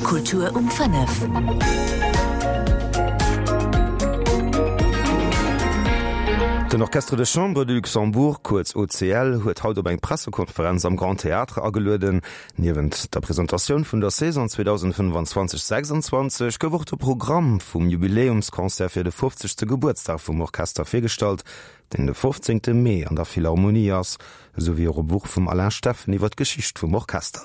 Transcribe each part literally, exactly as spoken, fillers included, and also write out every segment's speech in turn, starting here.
Kultur um fënnef. Den Orchestre de Chambre du Luxembourg, kuerz OCL, huet haut op eng Pressekonferenz am Grand Théâtre agelueden. Niewent der Presentatioun vun der Saison zweedausendfënnefanzwanzeg sechsanzwanzeg gouf och de Programm vum Jubiläumsconcert fir de fofzegste Gebuertsdag vum Orchester virgestallt, deen de fofzéngte Mee an der Philharmonie ass, esou wéi och e Buch vum Alain Steffen iwwer d'Geschicht vum Orchester.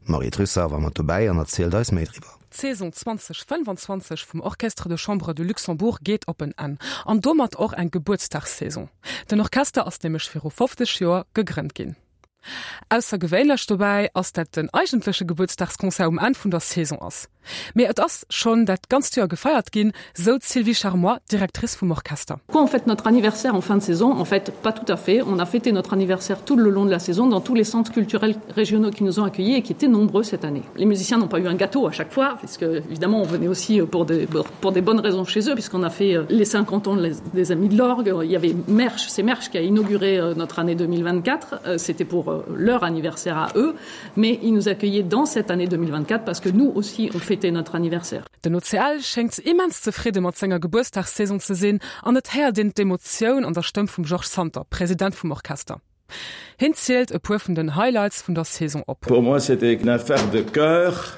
D'Marie Trussart war mat dobäi an erzielt eis méi driwwer. D'Saison zwanzeg fënnfanzwanzeg vum Orchestre de Chambre du Luxembourg geet op en Enn, an domat och eng Gebuertsdagssaison. Den Orchester ass nämlech viru fofzeg Joer gegrënnt ginn. Aussergewéinlech dobäi ass, dat den eigentleche Gebuertsdagsconcert um Enn vun der Saison ass. Mee et ass schonn dat ganzt Joer gefeiert ginn, sou d'Sylvie Charmois, Directrice vum Orchester. Pourquoi on fête notre anniversaire en fin de saison? En fait, pas tout à fait. On a fêté notre anniversaire tout le long de la saison dans tous les centres culturels régionaux qui nous ont accueillis et qui étaient nombreux cette année. Les musiciens n'ont pas eu un gâteau à chaque fois, puisque évidemment on venait aussi pour des, pour des bonnes raisons chez eux, puisqu'on a fait euh, les cinquante ans des Amis de l'Orgue. Il y avait Mersch, c'est Mersch qui a inauguré euh, notre année deux mille vingt-quatre. Euh, c'était pour leur anniversaire à eux, mais ils nous accueillaient dans cette année deux mille vingt-quatre parce que nous aussi on fêtait notre anniversaire. Den O C L schéngt immens zefridde mat senger Gebuertsdagssaison ze sinn an et héiert een d'Emotioun an der Stëmm vum Georges Santer, President vum Orchester. Hien zielt e puer vun den Highlights vun der Saison op. Pour moi, c'était une affaire de cœur.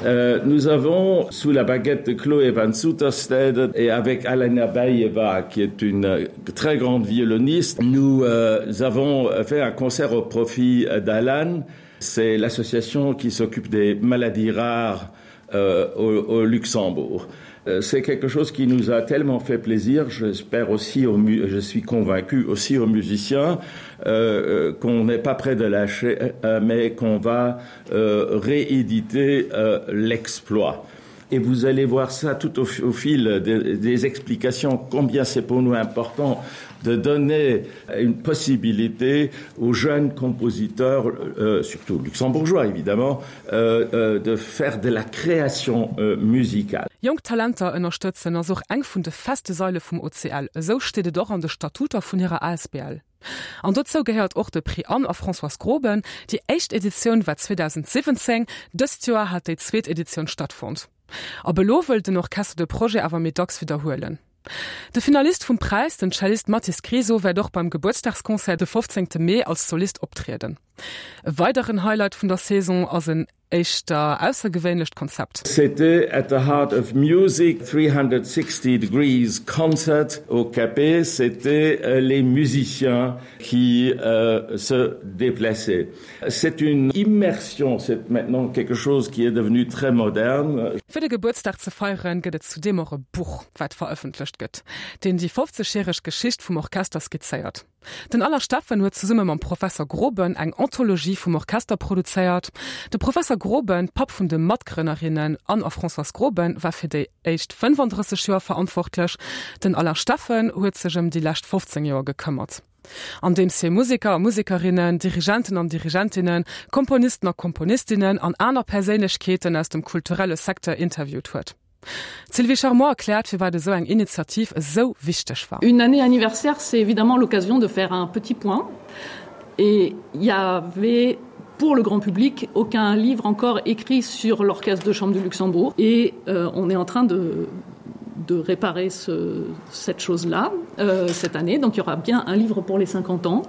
Euh, nous avons, sous la baguette de Chloé Van Soeterstede et avec Alena Bayeva, qui est une très grande violoniste, nous, euh, avons fait un concert au profit d'Alan. C'est l'association qui s'occupe des maladies rares, euh, au, au Luxembourg. Euh, c'est quelque chose qui nous a tellement fait plaisir, j'espère aussi aux mu-, je suis convaincu aussi aux musiciens, euh, euh, qu'on n'est pas prêt de lâcher, euh, mais qu'on va, euh, rééditer, euh, l'exploit. Et vous allez voir ça tout au, au fil des, des explications, combien c'est pour nous important de donner une possibilité aux jeunes compositeurs, euh, surtout luxembourgeois évidemment, euh, euh, de faire de la création, euh, musicale. Jonk Talenter ënnerstëtzen ass och eng vun de feste Saile vum O C L. Esou steet et och an de Statuter vun hirer A S B L. An dozou gehéiert och de Prix Anne a Françoise Groben. Déi éischt Editioun war zweedausendsiwwenzéng, dëst Joer hat déi zweet Editioun stattfonnt. Ab elo wëllt den Orchester de Projet awer méi dacks widderhuelen. De Finalist vum Präis, den Cellist Mathis Griso, wäert och beim Gebuertsdagsconcert de fofzéngte Mee als Solist optrieden. E weideren Highlight vun der Saison ass en éischter aussergewéinlecht Konzept. C'était at the Heart of Music three hundred sixty degrees concert au Capet. C'était, euh, les musiciens qui, euh, se déplaçaient. C'est une immersion, c'est maintenant quelque chose qui est devenu très moderne. Fir de Gebuertsdag ze feieren, gëtt et zudeem och e Buch, wat verëffentlecht gëtt, deen déi fofzegjäreg Geschicht vum Orchester skizzéiert. Den Alain Steffen huet zesumme mam Professor Groben eng Anthologie vum Orchester produzéiert. De Professor Groben, Papp vun de Matgrënnerinnen Anne a Françoise Groben, war fir déi éischt fënnefandrësseg Joer verantwortlech. Den Alain Steffen huet sech ëm déi lescht fofzéng Joer gekëmmert. Andeems hie Museker a Musekerinnen, Dirigenten an Dirigentinnen, Komponisten a Komponistinnen an aner Perséinlechkeeten aus dem kulturelle Secteur interviewt huet. D'Sylvie Charmois erkläert, firwat esou eng Initiativ esou wichteg war. Une année anniversaire, c'est évidemment l'occasion de faire un petit point. Et il y avait pour le grand public aucun livre encore écrit sur l'Orchestre de Chambre du Luxembourg. Et, euh, on est en train de, de réparer ce, cette chose-là, euh, cette année. Donc il y aura bien un livre pour les cinquante ans,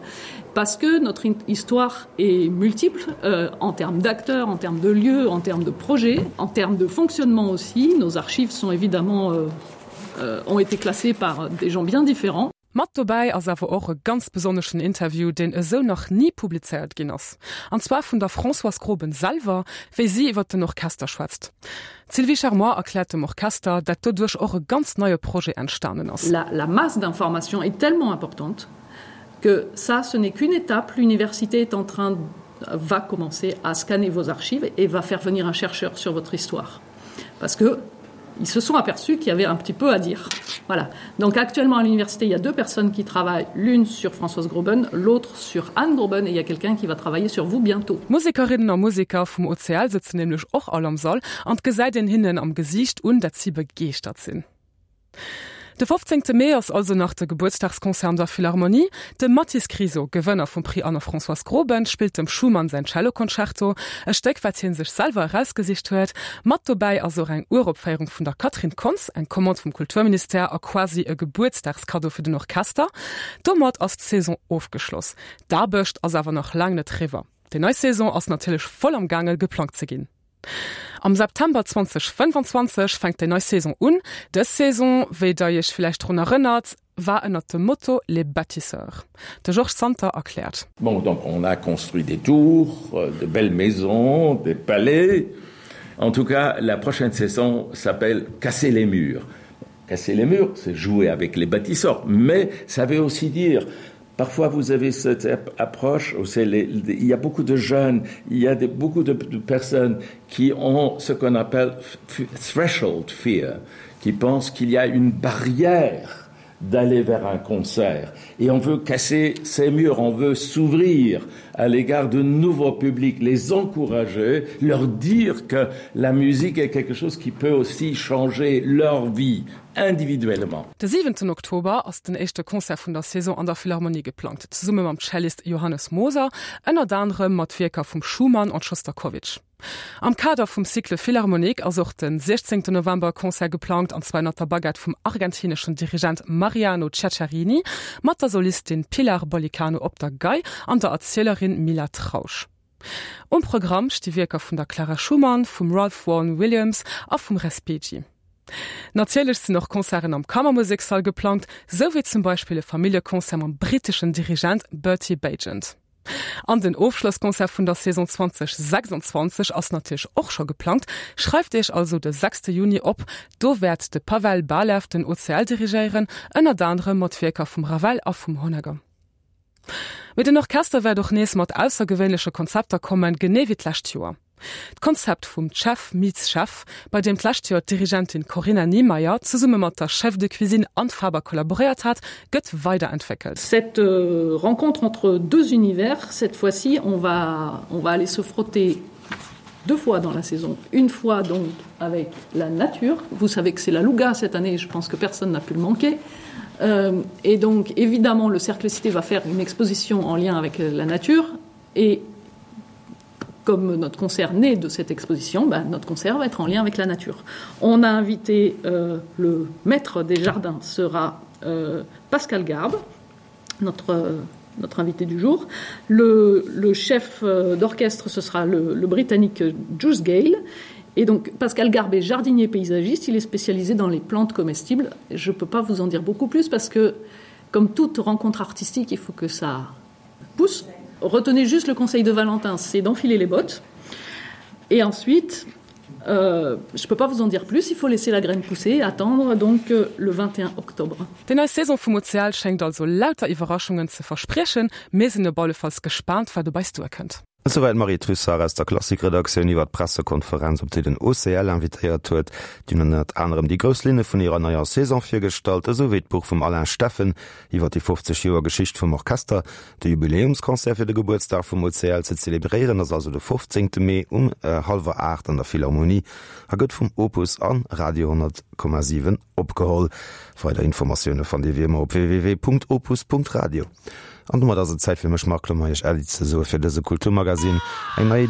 parce que notre in-, histoire est multiple, euh, en termes d'acteurs, en termes de lieux, en termes de projets, en termes de fonctionnement aussi. Nos archives sont évidemment, euh, euh, ont été classées par des gens bien différents. Mat dobäi ass awer och e ganz besonneschen Interview, deen esou nach nie publizéiert ginn ass. An zwar vun der Françoise Groben selwer, wéi si iwwer den Orchester schwätzt. D'Sylvie Charmois erkläert dem Orchester, dat doduerch och e ganz neie Projet entstanen ass. La, la masse d'informations est tellement importante que ça, ce n'est qu'une étape. L'université est en train, va commencer à scanner vos archives et va faire venir un chercheur sur votre histoire. Parce que ils se sont aperçus qu'il y avait un petit peu à dire. Voilà. Donc actuellement à l'université, il y a deux personnes qui travaillent, l'une sur Françoise Groben, l'autre sur Anne Groben, et il y a quelqu'un qui va travailler sur vous bientôt. Musekerinnen a Museker vum O C L sitzen nämlech och all am Sall an gesäit een hinnen am Gesiicht un, dat si begeeschtert sinn. De fofzéngte Mee ass also nach de Gebuertsdagsconcert an der Philharmonie. De Mathis Kriso, Gewënner vum Prix Anna-Françoise Groben, spillt dem Schumann säin Celloconcerto, e Stéck wat hie sech selwer erausgesicht huet. Mat dobäi ass och eng Uropféierung vun der Catherine Kontz, eng Commande vum Kulturministère a quasi e Gebuertsdagskaddo fir den Orchester. Domat ass d'Saison ofgeschloss. D'Aarbecht ass awer nach laang net eriwwer. Déi nei Saison ass natierlech voll am gaange geplangt ze ginn. Am September zweitausendfënnefanzwanzeg fänkt déi nei Saison un. Dës Saison, wéi der iech villäicht drun erënnert, war ënnert dem Motto Les bâtisseurs. De Georges Santer erkläert. Bon, donc on a construit des tours, de belles maisons, des palais. En tout cas, la prochaine saison s'appelle Casser les murs. Casser les murs, c'est jouer avec les bâtisseurs, mais ça veut aussi dire Parfois, vous avez cette approche, où les, il y a beaucoup de jeunes, il y a des, beaucoup de, de personnes qui ont ce qu'on appelle threshold fear, qui pensent qu'il y a une barrière d'aller vers un concert. Et on veut casser ces murs, on veut s'ouvrir à l'égard de nouveaux publics, les encourager, leur dire que la musique est quelque chose qui peut aussi changer leur vie individuellement. De siwenten Oktober ass den éischte Concert vun der Saison an der Philharmonie geplangt, zesumme mam Cellist Johannes Moser, ënnert anerem mat Wierker vum Schumann an Schostakowitsch. Am Kader vum Cycle Philharmonique ass och den siechzéngten November e Concert geplangt, an zwar ënnert der Baguette vum argentineschen Dirigent Mariano Ceccherini, mat der Solistin Pilar Bollicano op der Gei an der Erzielerin Mila Trausch. Um Programm sti Wierker vun der Clara Schumann, vum Ralph Vaughan Williams a vum Respighi. Natierlech sinn och Concerten am Kammermusekssall geplangt, sou wéi zum Beispill e Familljeconcert mam britteschen Dirigent Bertie Baigent. An den Ofschlossconcert vun der Saison zwanzeg sechsundzwanzeg ass natierlech och scho geplangt. Schreift iech also de sechste Juni op, do wäert de Pavel Balev den O C L dirigéieren, ënnert anerem mat Wierker vum Ravel a vum Honegger. Mee den Orchester wäert och nees mat aussergewéinleche Konzepter kommen, genee wéi d'lescht Joer. D'Konzept vum Chef meets Chef, bei deem d'lescht Joer d'Dirigentin Corinna Niemeyer zesumme mat der Chef de Cuisine Anne Faber kollaboréiert hat, gëtt weiderentwéckelt. Cette rencontre entre deux univers, cette fois-ci, on va, on va aller se frotter deux fois dans la saison. Une fois donc avec la nature. Vous savez que c'est la Louga cette année, je pense que personne n'a pu le manquer. Euh, et donc évidemment, le Cercle Cité va faire une exposition en lien avec la nature. Et comme notre concert naît de cette exposition, ben, notre concert va être en lien avec la nature. On a invité, euh, le maître des jardins sera, euh, Pascal Garbe, notre, euh, notre invité du jour. Le, le chef, euh, d'orchestre, ce sera le, le Britannique Juice Gale. Et donc Pascal Garbe est jardinier paysagiste, il est spécialisé dans les plantes comestibles. Je peux pas vous en dire beaucoup plus parce que, comme toute rencontre artistique, il faut que ça pousse. Retenez juste le conseil de Valentin, c'est d'enfiler les bottes. Et ensuite, euh, je peux pas vous en dire plus, il faut laisser la graine pousser et attendre donc, euh, le vingt et un octobre. Déi nei Saison vum O C L schéngt also lauter Iwwerraschungen ze verspriechen. Mir sinn op alle Falls gespaant, wat op eis duerkënnt. Esouwäit d'Marie Trussart aus der Klassikredaktioun iwwer d'Pressekonferenz, op déi den O C L invitéiert huet. Déi hunn ënnert anerem déi grouss Linne vun hirer neier Saison virgestallt, esou wéi d'Buch vum Alain Steffen iwwer déi fofzeg Joer Geschicht vum Orchester. De Jubiläumsconcert fir de Gebuertsdag vum O C L ze zelebréieren ass also de fofzéngte Mee um hallwer aacht an der Philharmonie a gëtt vum Opus an Radio honnert Komma siwen opgeholl. Weider Informatioune fannt Dir wéi ëmmer op www punkt opus punkt radio. An domat ass et Zäit fir mech, Marc Lemay, Iech Äddi ze soe fir dëse Kulturmagazin. Eng nei